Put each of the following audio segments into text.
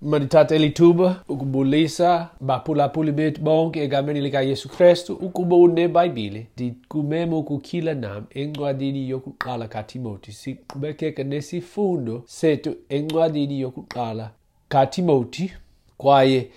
Mandithathe eli thuba ukubulisa baphulaphuli bethu bonke egameni likaYesu Krestu. Ukuba uneBhayibhile, ndikumema ukutyhila nam encwadini yokuqala kaTimoti. Siqhubekeka nesifundo sethu encwadini yokuqala kaTimoti, kwaye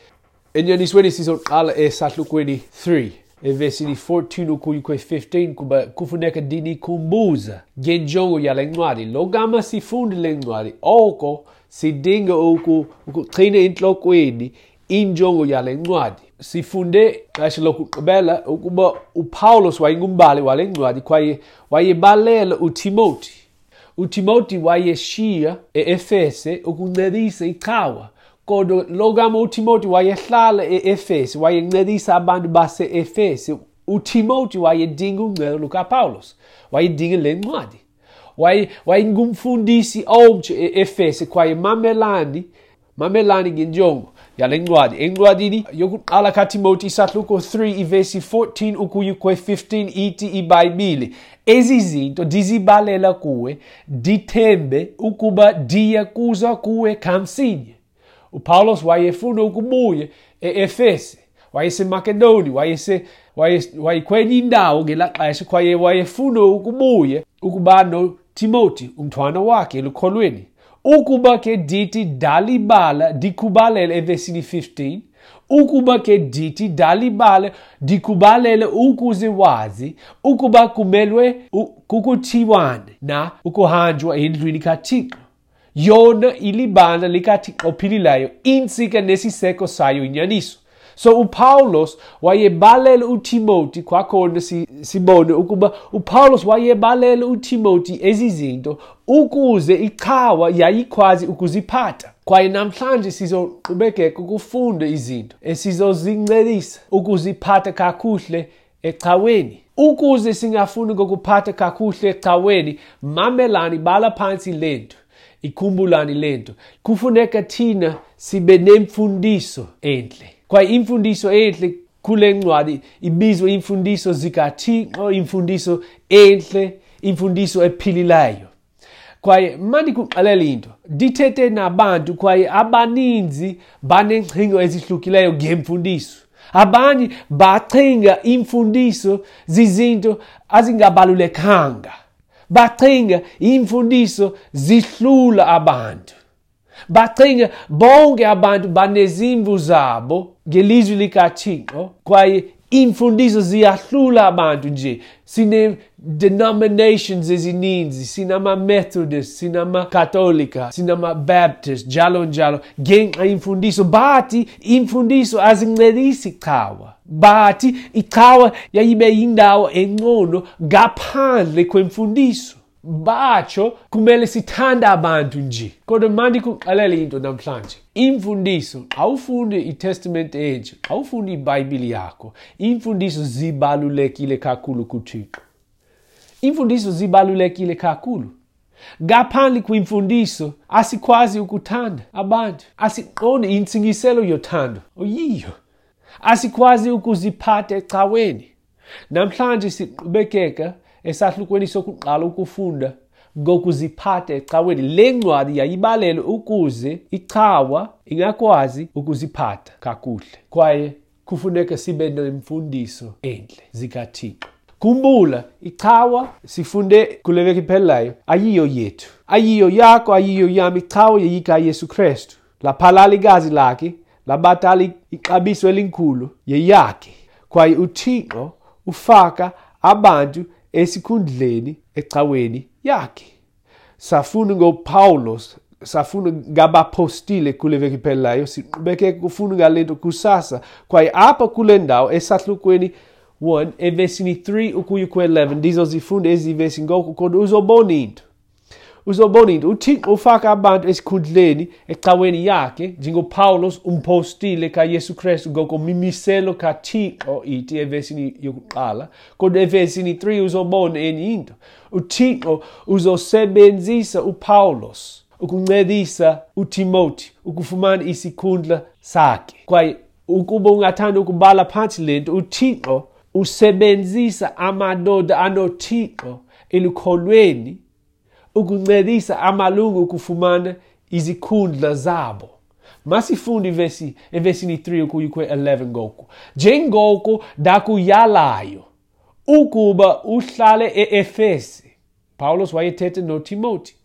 enyanisweni sizoqala esahlukweni 3 evesini 14 ukuya kwe-15, kuba kufuneka ndinikhumbuza ngenjongo yale ncwadi. Lo gama sifunde le ncwadi, oko sidinga ukuqhina entlokweni injongo yale ncwadi. Sifunde xesha lokugqibela ukuba uPawulos wayengumbhali wale ncwadi kwaye wayebalela uTimoti. uTimoti wayeshiya e-Efese ukuncedisa icawa, kodwa lo gama uTimoti wayehlala e-Efese, wayencedisa abantu base-Efese. uTimoti wayedinga uncedo lukaPawulos, wayedinga le ncwadi. Wayengumfundisi omtsha e-Efese, kwaye mamelani ngenjongo yale ncwadi. Encwadini yokuqala kaTimoti, isahluko 3, ivesi 14 ukuya kwe-15, ithi iBhayibhile: ezi zinto ndizibalela kuwe, ndithembe ukuba ndiya kuza kuwe kamsinya. uPawulos wayefuna ukubuya e-Efese, wayeseMakedoni, wayekwenye indawo ngelaa xesha, kwaye wayefuna ukubuya ukuba noTimoti, umntwana wakhe elukholweni. Ukuba ke ndithi ndalibala, ndikubalele evesini 15, ukuba ke ndithi ndalibala, ndikubalele ukuze wazi ukuba kumelwe kukuthiwane na ukuhanjwa endlwini kaThixo. Yona ilibandla likaThixo ophilileyo, intsika nesiseko sayo inyaniso. So uPawulos wayebalela uTimoti, kwakhona sibone ukuba uPawulos wayebalela uTimoti ezi zinto ukuze icawa yayikwazi ukuziphatha. Kwaye namhlanje sizoqhubekeka ukufunda izinto esizozincedisa ukuziphatha kakuhle ecaweni. Ukuze singafuni ngokuphatha kakuhle ecaweni, mamelani, bhala phantsi le nto, ikhumbulani le nto. Kufuneka thina sibe nemfundiso entle. Kwaye imfundiso entle kule ncwadi ibizwa imfundiso zikaThixo, imfundiso entle, imfundiso ephilileyo. Kwaye mandikuxelele into, ndithethe nabantu kwaye abaninzi baneengcingo ezihlukileyo ngemfundiso. Abanye bacinga imfundiso zizinto azingabalulekanga. Bacinga imfundiso zihlula abantu. Bacinga bonke abantu banezimvu zabo ngelizwi likaThixo, kwaye iimfundiso ziyahlula abantu nje. Sine-denominations ezininzi, sinama-Methodist, sinama-Katolika, sinama-Baptist, njalo njalo, ngenxa yemfundiso. Bathi iimfundiso azincedisi cawa. Bathi icawa yayibe yindawo engcono ngaphandle kwemfundiso. Batsho kumele sithande abantu nje. Kodwa mandikuxelele into namhlanje. Imfundiso, xa ufunde iTestamente Entsha, xa ufunde iBhayibhile yakho, iimfundiso zibalulekile kakhulu kuThixo. Iimfundiso zibalulekile kakhulu. Ngaphandle kwimfundiso asikwazi ukuthanda abantu. Asiqondi intsingiselo yothando oyiyo. Asikwazi ukuziphatha ecaweni. Namhlanje siqhubekeka esahlukweni sokuqala ukufunda ngokuziphatha ecaweni. Le ncwadi yayibalelwe ukuze icawa ingakwazi ukuziphatha kakuhle. Kwaye kufuneka sibe nemfundiso entle zikaThixo. Khumbula, icawa sifunde kule veki iphelileyo ayiyo yethu, ayiyo yakho, ayiyo yam. Icawa yeyikaYesu Krestu. Laphalala igazi lakhe, labatala ixabiso elikhulu, yeyakhe. Kwaye uThixo ufaka abantu esikhundleni ecaweni yakhe. Safunda ngoPawulos, safunda ngabapostile kule veki iphelileyo, siqhubekeke kufunda ngale nto kusasa. Kwaye apha kule ndawo esahlukweni 1 evesini 3 ukuya kwe-11, ndizozifunda ezi vesi ngoku, kodwa uzobona into. Uzobona into. uThixo ufaka abantu esikhundleni ecaweni yakhe, njengoPawulos umpostile kaYesu Krestu ngokomimiselo kaThixo, ithi evesini yokuqala. Kodwa evesini 3 uzobona enye into. uThixo uzosebenzisa uPawulos ukuncedisa uTimoti ukufumana isikhundla sakhe. Kwaye ukuba ungathanda ukubhala phantsi le nto, uThixo usebenzisa amadoda anoThixo elukholweni ukuncedisa amalungu ukufumana izikhundla zabo. Masifunde ivesi evesini 3 ukuya kwe-11 ngoku. Njengoko ndakuyalayo ukuba uhlale e-Efese. Pawulos wayethetha noTimoti.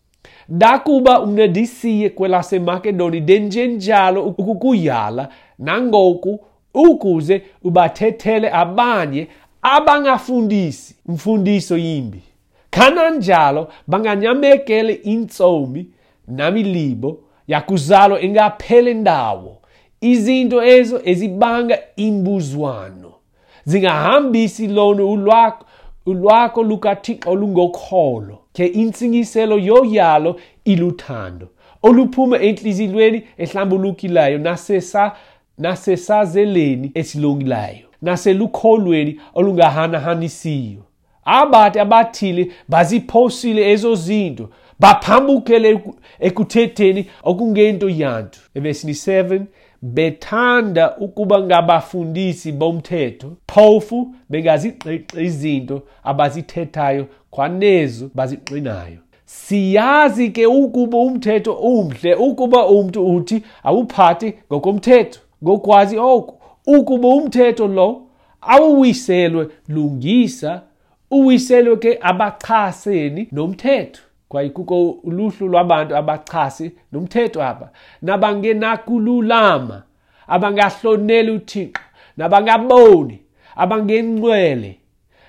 Ndakuba mna ndisiye kwelaseMakedoni ndenjenjalo ukukuyala nangoku ukuze ubathethele abanye abangafundisi mfundiso yimbi. Kananjalo banganyamekele intsomi namilibo yakuzalwa engaphele ndawo. Izinto ezo ezibanga imbuzwano zingahambisi lona ulwakho lukaThixo olungokholo. Ke intsingiselo yoyalo iluthando oluphuma entliziyweni ehlambulukileyo nasesazeleni esilungileyo naselukholweni olungahanahanisiyo. Abathi abathile baziphosile ezo zinto, baphambukele ekuthetheni okungento yanto. Evesini 7, bethanda ukuba ngabafundisi bomthetho, phofu bengaziqiqi izinto abazithethayo kwanezo baziqinayo. Siyazi ke ukuba umthetho umhle, ukuba umntu uthi awuphathi ngokomthetho. Ngokwazi oku, ukuba umthetho lo awuwiselwe lungisa, uwiselwe ke abachaseni nomthetho. Kwaye kukho uluhlu lwabantu abachasi nomthetho apha, nabangenakululama, abangahloneli uThixo, nabangaboni, abangengcwele,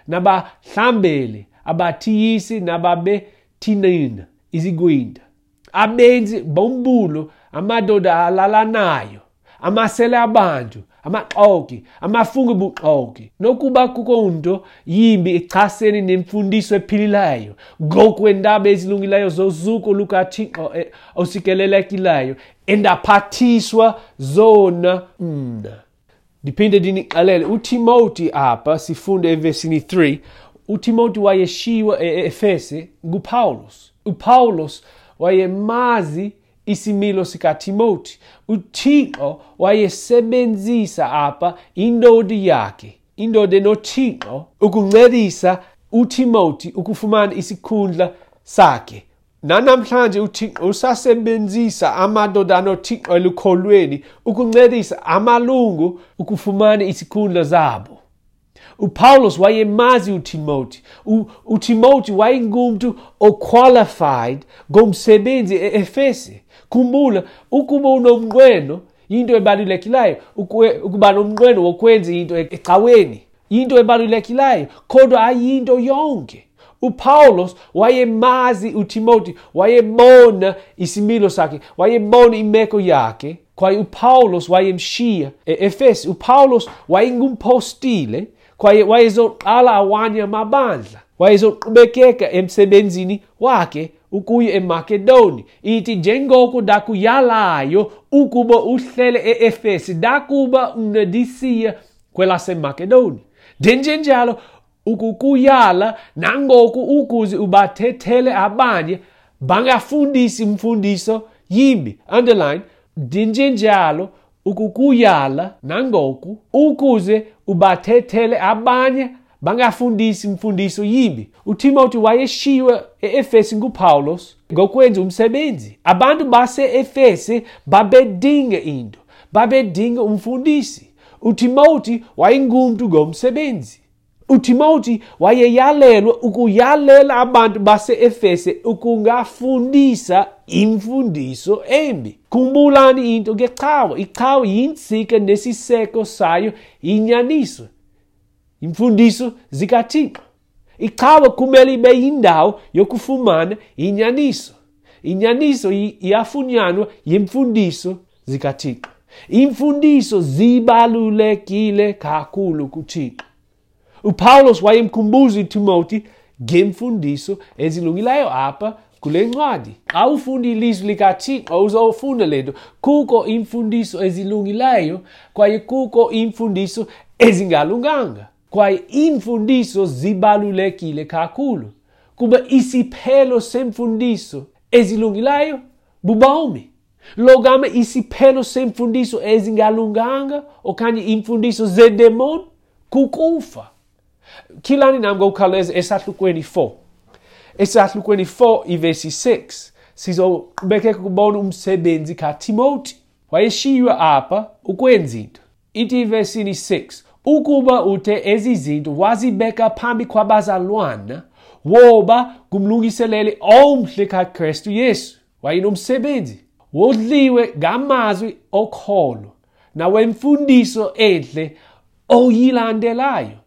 nabahlambeli, abathiyisi, nababethinina izigwinta, abenzi bombulo, amadoda alalanayo, amasele abantu, amaxoki, amafungo buxoki, nokuba kukho nto yimbi echasene nemfundiso ephilileyo ngokwendaba ezilungileyo zozuko lukaThixo osikelelekileyo endaphathiswa zona mna. Ndiphinde ndinixelele, uTimoti apha sifunde evesini 3, uTimoti wayeshiywa e-Efese nguPawulos. UPawulos wayemazi isimilo sikaTimoti. UThixo wayesebenzisa apha indoda yakhe, indoda enoThixo, ukuncedisa uTimoti ukufumana isikhundla sakhe. Nanamhlanje uThixo usasebenzisa amadoda anoThixo elukholweni ukuncedisa amalungu ukufumana isikhundla zabo. uPawulos wayemazi uTimoti. uTimoti wayengumntu oqualified ngomsebenzi e-Efese. Khumbula, ukuba unomnqweno yinto ebalulekileyo, ukuba nomnqweno wokwenza into ecaweni yinto ebalulekileyo, kodwa ayinto yonke. uPawulos wayemazi uTimoti, wayebona isimilo sakhe, wayebona imeko yakhe, kwaye uPawulos wayemshiya e-Efese. uPawulos wayengumpostile kwaye wayezoqala awanye amabandla, wayezoqhubekeka emsebenzini wakhe ukuya eMakedoni. Ithi njengoko ndakuyalayo ukuba uhlele e-Efese, ndakuba mna ndisiya kwelaseMakedoni. Ndenjenjalo ukukuyala nangoku ukuze ubathethele abanye bangafundisi mfundiso yimbi. Underline, ndinjenjalo ukukuyala nangoku ukuze ubathethele abanye bangafundisi mfundiso yimbi. uTimoti wayeshiywe e-Efese nguPawulos ngokwenza umsebenzi. Abantu base-Efese babedinga into, babedinga umfundisi. uTimoti wayengumntu ngomsebenzi. uTimoti wayeyalelwa ukuyalela abantu base-Efese ukungafundisa imfundiso embi. Khumbulani into ngecawa. Icawa yintsika nesiseko sayo inyaniso, imfundiso zikaThixo. Icawa kumele ibe yindawo yokufumana inyaniso. Inyaniso iyafunyanwa yimfundiso zikaThixo. Imfundiso zibalulekile kakhulu kuThixo. uPawulos wayemkhumbuza uTimoti ngemfundiso ezilungileyo apha kule ncwadi. Xa ufunda ilizwi likaThixo uzofunda le nto. Kukho iimfundiso ezilungileyo kwaye kukho iimfundiso ezingalunganga. Kwaye iimfundiso zibalulekile kakhulu kuba isiphelo semfundiso ezilungileyo bubomi. Logama isiphelo semfundiso ezingalunganga okanye iimfundiso zedemoni kukufa. Kilani nam ngokukhawuleza esahlukweni 4. Esahlukweni 4 ivesi 6 sizoqhubekeka kubona umsebenzi kaTimoti. Wayeshiywa apha ukwenza into. Ithi ivesini 6, ukuba uthe ezi zinto wazibeka phambi kwabazalwana, woba ngumlungiseleli omhle kaKristu Yesu. Wayenomsebenzi. Wodliwe ngamazwi okholo nawemfundiso enhle oyilandelayo.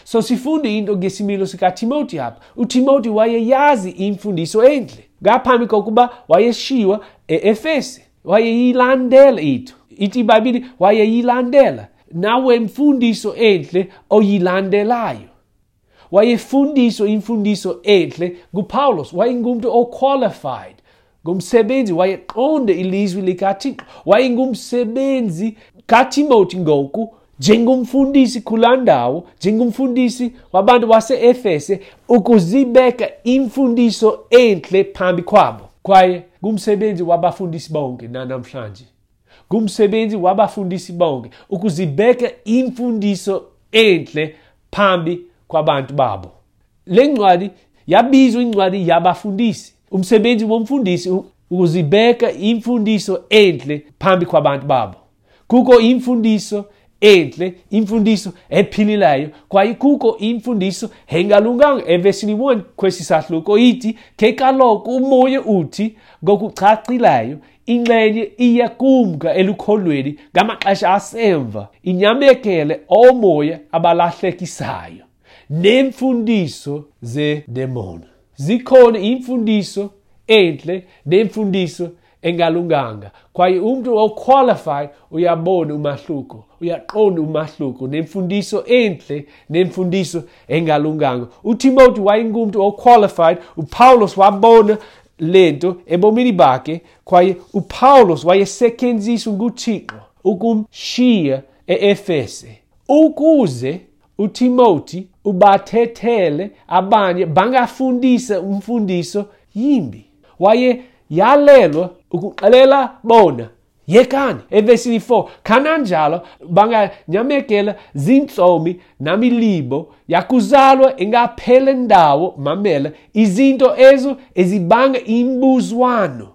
So sifunda into ngesimilo sikaTimothy apha. UTimothy wayeyazi imfundiso enhle ngaphambi kokuba wayeshiywa e-Efese. Wayeyilandela into. Ithi iBhayibhile wayeyilandela nawemfundiso enhle oyilandelayo. Wayefundiswa imfundiso enhle nguPawulos. Wayengumntu oqualified ngumsebenzi, wayeqonde ilizwi likaThixo. Wayengumsebenzi kaTimothy ngoku njengomfundisi kulaa ndawo, njengomfundisi wabantu base-Efese, ukuzibeka imfundiso entle phambi kwabo. Kwaye ngumsebenzi wabafundisi bonke nanamhlanje. Ngumsebenzi wabafundisi bonke ukuzibeka imfundiso entle phambi kwabantu babo. Le ncwadi yabizwa incwadi yabafundisi. Umsebenzi womfundisi ukuzibeka imfundiso entle phambi kwabantu babo. Kukho imfundiso entle, imfundiso ephilileyo, kwaye kukho imfundiso engalunganga. Evesini 1 kwesi sahluko ithi, ke kaloku umoya uthi ngokucacileyo, inxenye iya kumka elukholweni ngamaxesha asemva, inyamekele oomoya abalahlekisayo neemfundiso zedemoni. Zikhona imfundiso entle nemfundiso engalunganga, kwaye umntu oqualified uyabona umahluko, uyaqonda umahluko nemfundiso entle nemfundiso engalunganga. UTimothy wayengumntu oqualified. uPawulos wabona lento ebomini bakhe, kwaye uPawulos wayesetyenziswa nguThixo ukumshiya e-Efese ukuze uTimothy ubathethele abanye bangafundisa umfundiso yimbi. Waye yalelwa ukuxelela bona, yekani. Evesini 4, kananjalo banganyamekela zintsomi namilibo yakuzalwa engaphele ndawo. Mamela, izinto ezo ezibanga imbuzwano.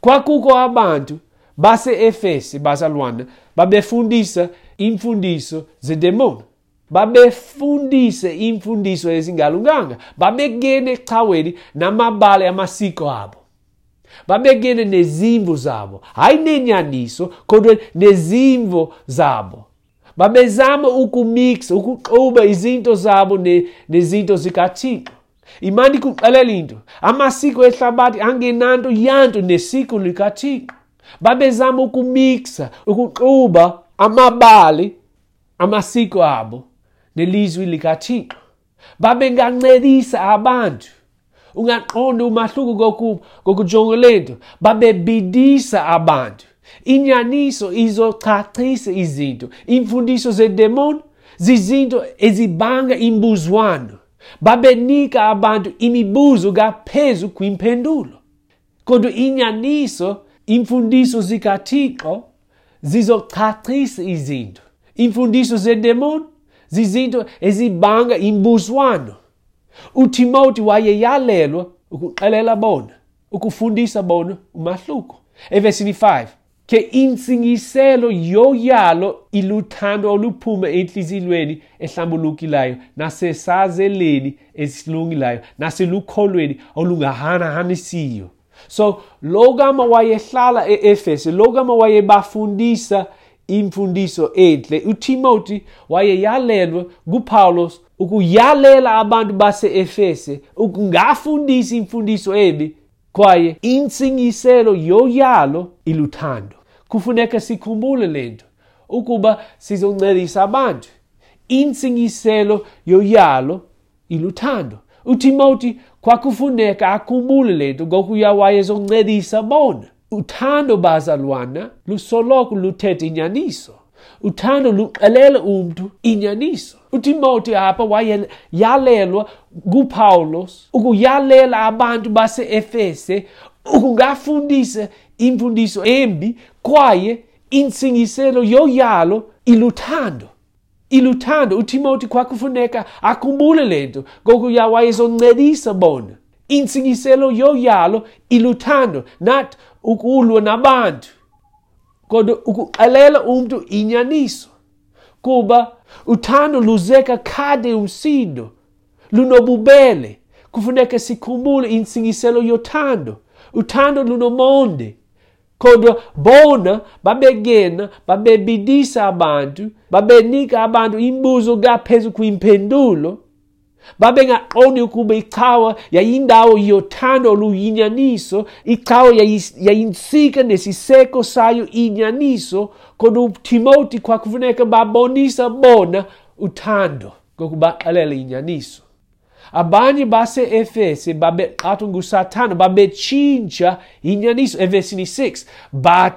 Kwakukho abantu base-Efese, bazalwana, babefundisa imfundiso zedemoni. Babefundise imfundiso ezingalunganga. Babengene ecaweni namabali amasiko abo. Babengene nezimvo zabo, hayi nenyaniso, kodwa nezimvo zabo. Babezama ukumixa, ukuxuba izinto zabo nezinto zikaThixo. Imani kuxelela into, amasiko ehlabathi angenanto yanto nesiko likaThixo. Babezama ukumixa, ukuxuba amabali amasiko abo nelizwi likaThixo. Babengancedisa abantu. Ungaqonda umahluko ngokujonga lento. Babebidisa abantu. Inyaniso izochachisa izinto. Imfundiso zedemoni zizinto ezibanga imbuzwano. Babenika abantu imibuzo ngaphezu kwimpendulo. Kodwa inyaniso, imfundiso zikaThixo zizochachisa izinto. Imfundiso zedemoni zizinto ezibanga imbuzwano. uTimothy wayeyalelwa ukuxelela bona, ukufundisa bona umahluko. Evesini 5, ke intsingiselo yoyalo iluthando oluphuma entliziyweni ehlambulukileyo nasesazeleni esilungileyo naselukholweni olungahanahanisiyo. So lo gama wayehlala e-Efese, lo gama wayebafundisa imfundiso entle, uTimothy wayeyalelwa nguPawulos ukuyalela abantu base-Efese ukungafundisi imfundiso embi, kwaye intsingiselo yoyalo iluthando. Kufuneka sikhumbule lento ukuba sizoncedisa abantu. Intsingiselo yoyalo iluthando. uTimothy kwakufuneka akhumbule lento ngokuya wayezoncedisa bona. Uthando bazalwana lusoloko luthetha inyaniso. Uthando luxelela umntu inyaniso. uTimothy apha wayeyalelwa nguPawulos ukuyalela abantu base-Efese ukungafundisa imfundiso embi, kwaye intsingiselo yoyalo iluthando. Iluthando. uTimothy kwakufuneka akhumbule lento ngokuya wayezoncedisa bona. Intsingiselo yoyalo iluthando, not ukulwa nabantu. Kodwa ukuxelela umntu inyaniso, kuba uthando luzeka khade umsindo, lunobubele. Kufuneka sikhumbule intsingiselo yothando. Uthando lunomonde. Kodwa bona babegena, babebidisa abantu, babenika abantu imibuzo ngaphezu kwimpendulo. Babengaqondi ukuba icawa yayindawo yothando oluyinyaniso, icawa yayintsika nesiseko sayo inyaniso. Kodwa uTimoti kwakufuneka babonisa bona uthando ngokubaxelela inyaniso. Abanye base-Efese babeqhathwa nguSathana, babetshintsha inyaniso. Evesini 6,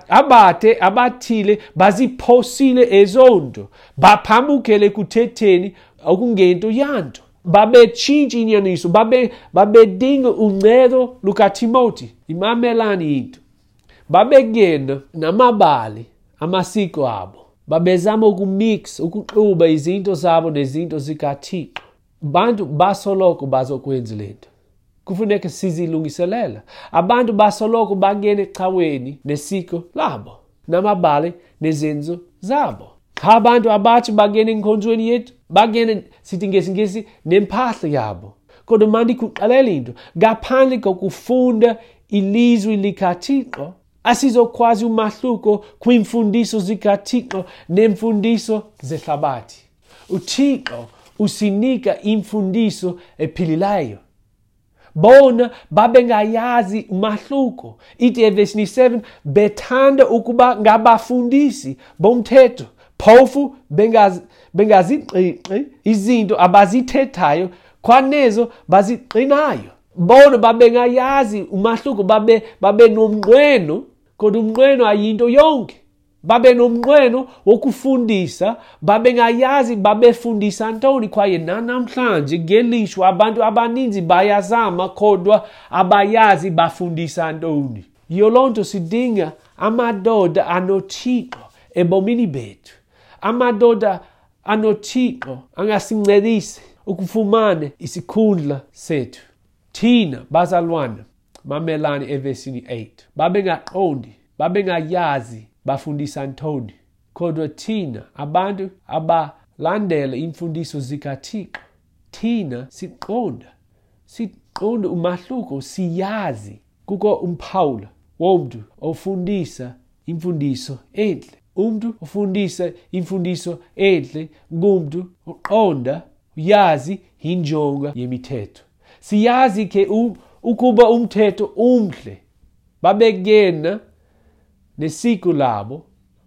abathe abathile baziphosile ezonto, baphambukele ekuthetheni okungento yanto. Babetshintsha inyaniso, babedinga uncedo lukaTimoti. Imamelani into. Babegena namabali amasiko abo. Babezama ukumix, ukuxuba izinto zabo nezinto zikaThixo. Bantu basoloko bazokwenza le nto. Kufuneka sizilungiselela. Abantu basoloko bangena ecaweni nesiko labo, namabali nezenzo zabo. Xa abantu abatsha bangena enkonzweni yethu, bangena, sithi ngesiNgesi, nempahla yabo. Kodwa mandikuxelele into, ngaphandle kokufunda ilizwi likaThixo, asizokwazi umahluko kwiimfundiso zikaThixo neemfundiso zehlabathi. UThixo usinika imfundiso ephilileyo. Bona babengayazi umahluko. Ithi evesini 7, bethanda ukuba ngabafundisi bomthetho, phofu bengaziqiqi izinto abazithethayo kwanezo baziqinayo. Bona babengayazi umahluko, babe nomnqweno, kodwa umnqweno ayinto yonke. Babe nomnqweno wokufundisa, babengayazi babefundisa ntoni. Kwaye nanamhlanje ngelishwa abantu abaninzi bayazama kodwa abayazi bafundisa ntoni. Yiyo loo nto sidinga amadoda anoThixo ebomini bethu. Amadoda anoThixo angasincedisi ukufumana isikhundla sethu. Thina bazalwana, mamelani evesini 8. Babengaqondi, babengayazi bafundisa ntoni. Kodwa thina abantu abalandela iimfundiso zikaThixo, thina siqonda umahluko, siyazi. Kukho umphawula womntu ofundisa imfundiso entle. Umntu ofundisa imfundiso entle ngumntu oqonda, uyazi injongo yemithetho. Siyazi ke ukuba umthetho umhle. Babegena nesiko labo,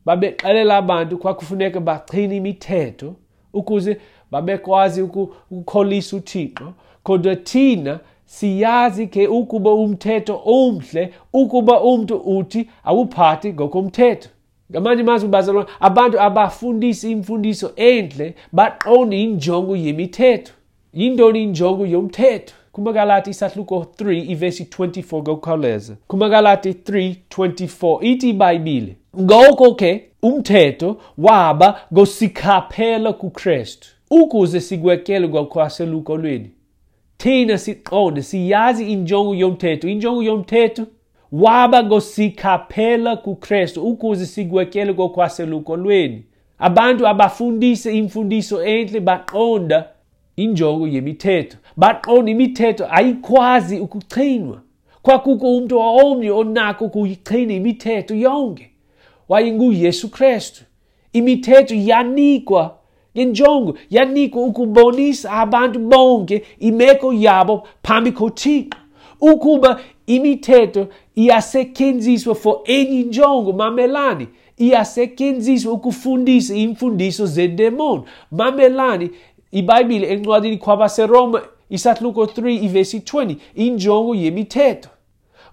babexelela abantu kwakufuneka bagcine imithetho ukuze babekwazi ukukholisa uThixo. Kodwa thina siyazi ke ukuba umthetho umhle ukuba umntu uthi awuphathi ngokomthetho. Ngamanye amazwi bazalwane, abantu abafundisi imfundiso entle baqonde injongo yemithetho. Yintoni injongo yomthetho? KumaGalati isahluko 3 ivesi 24 ngokukhawuleza. KumaGalati 3:24 ithi iBhayibhile, ngoko ke umthetho waba ngosikhaphela kuKrestu ukuze sigwetyelwe ngokwaselukolweni. Thina siqonde, siyazi injongo yomthetho. Injongo yomthetho waba ngosikhaphela kuKrestu ukuze sigwetyelwe ngokwaselukolweni. Abantu abafundisa imfundiso entle baqonda injongo yemithetho. Baqonda imithetho ayikwazi ukuchinwa. Kwakukho umntu omnye onako ukuyichina imithetho yonke. WayenguYesu Krestu. Imithetho yanikwa ngenjongo, yanikwa ukubonisa abantu bonke imeko yabo phambi koThixo. Ukuba imithetho iyasetyenziswa for enye injongo, mamelani, iyasetyenziswa ukufundisa iimfundiso zedemoni. Mamelani, iBhayibhile encwadini kwabaseRoma isahluko 3 ivesi 20, injongo yemithetho.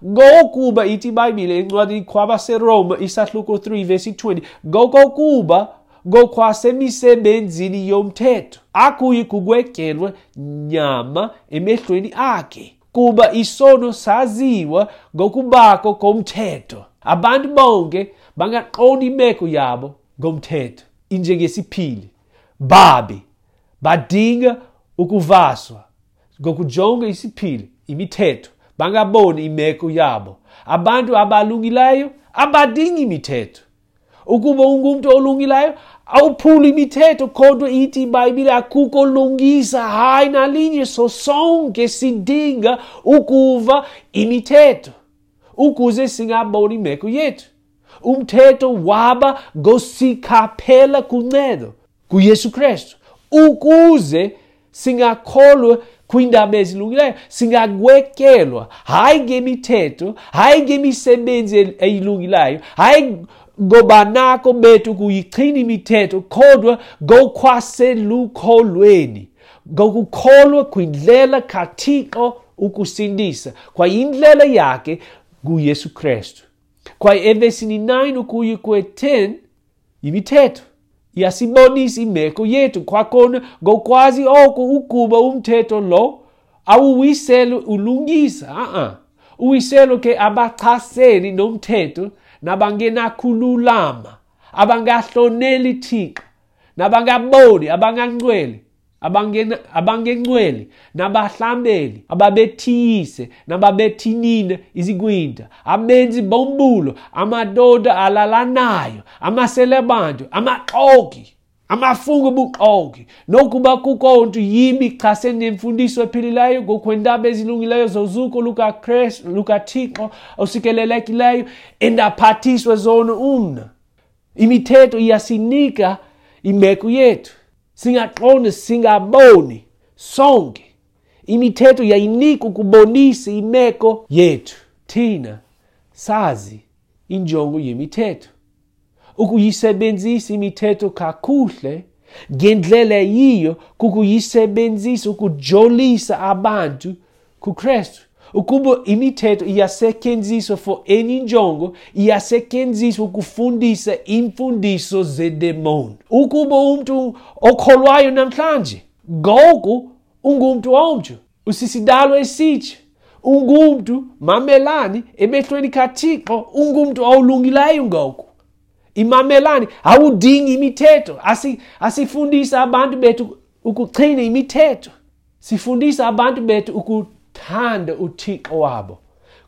Ngokuba ithi iBhayibhile encwadini kwabaseRoma isahluko 3 ivesi 20, ngokokuba ngokwasemisebenzini yomthetho akuyi kugwetyelwa nyama emehlweni akhe, kuba isono saziwa ngokubakho komthetho. Abantu bonke bangaqonda imeko yabo ngomthetho, injengesiphili. Babi badinga ukuvaswa ngokujonga isiphili, imithetho, bangaboni imeko yabo. Abantu abalungileyo abadingi imithetho. Ukuba ungumntu olungileyo, awuphuli imithetho, kodwa ithi iBhayibhile akukho lungisa, hayi nalinye. So sonke sidinga ukuva imithetho ukuze singaboni imeko yethu. Umthetho waba ngosikhaphela kuncedo kuYesu Kristu ukuze singakholwa kwiindaba ezilungileyo, singagwetyelwa hayi ngemithetho, hayi ngemisebenzi eyilungileyo, hayi ngobanako bethu kuyichina imithetho, kodwa ngokwaselukholweni, ngokukholwa kwindlela kaThixo ukusindisa, kwaye indlela yakhe nguYesu Kristu. Kwaye evesini 9 ukuya kwe-10 yimithetho iyasibonisa imeko yethu. Kwakhona ngokwazi oko ukuba umthetho lo awuwiselo ulungisa, a-a, uwiselo ke abachaseni nomthetho nabangenakululama, abangahloneli Thixo, nabangaboni, abangangcwele, abangengcwele, nabahlambeli, ababethiyise, nababethinina izigwinta, abenzi bombulo, amadoda alalanayo, amaselebantu, amaxoki, amafungo obuxoki, nokuba kukho nto yimbi chasene nemfundiso ephilileyo ngokwendaba ezilungileyo zozuko lukaKristu, lukaThixo osikelelekileyo, endaphathiswa zona umna. Imithetho iyasinika imeko yethu. Singaqonda, singaboni sonke. Imithetho yayinika ukubonisa imeko yethu. Thina sazi injongo yemithetho. Ukuyisebenzisa imithetho kakuhle ngendlela eyiyo kukuyisebenzisa ukujolisa abantu kuKristu. Ukuba imithetho iyasetyenziswa for enye injongo, iyasetyenziswa ukufundisa iimfundiso zedemoni. Ukuba umntu okholwayo namhlanje, ngoku ungumntu omtsha, usisidalwa esitsha, ungumntu, mamelani, emehlweni kaThixo, ungumntu olungileyo ngoku. Imamelani, awudingi imithetho. Asifundisa abantu bethu ukuchina imithetho. Sifundisa abantu bethu ukuthanda uThixo wabo.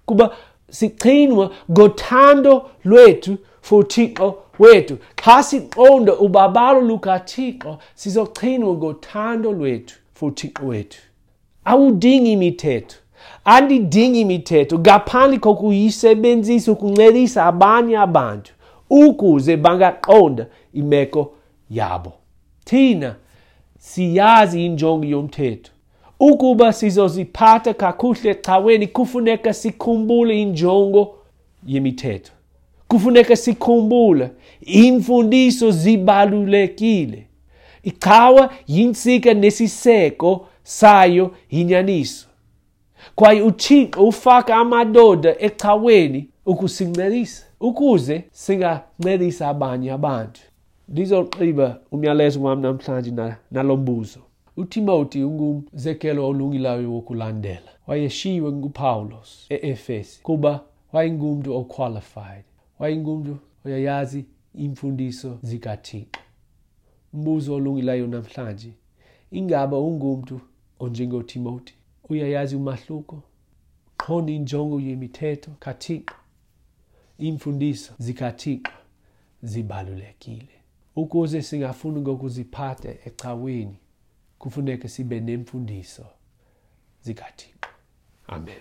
Kuba sichinwa ngothando lwethu for uThixo wethu. Xa siqonda ubabalo lukaThixo, sizochinwa ngothando lwethu for uThixo wethu. Awudingi imithetho. Andidingi imithetho ngaphandle kokuyisebenzisa ukuncedisa abanye abantu ukuze bangaqonda imeko yabo. Thina siyazi injongo yomthetho. Ukuba sizoziphatha kakuhle ecaweni, kufuneka sikhumbule injongo yemithetho. Kufuneka sikhumbule iimfundiso zibalulekile. Icawa yintsika nesiseko sayo yinyaniso. Kwaye uThixo ufaka amadoda ecaweni ukusincedisa, ukuze singancedisa abanye abantu. Ndizogqiba umyalezo wam namhlanje nalo mbuzo. uTimothy ungumzekelo olungileyo wokulandela. Wayeshiywe nguPawulos e-Efesi kuba wayengumntu oqualified, wayengumntu oyayazi iimfundiso zikaThixo. Umbuzo olungileyo namhlanje, ingaba ungumntu onjengoTimothy? Uyayazi umahluko? Qonda injongo yemithetho kaThixo. Iimfundiso zikaThixo zibalulekile. Ukuze singafuni ngokuziphatha ecaweni, kufuneka sibe nemfundiso zikaThixo. Amen.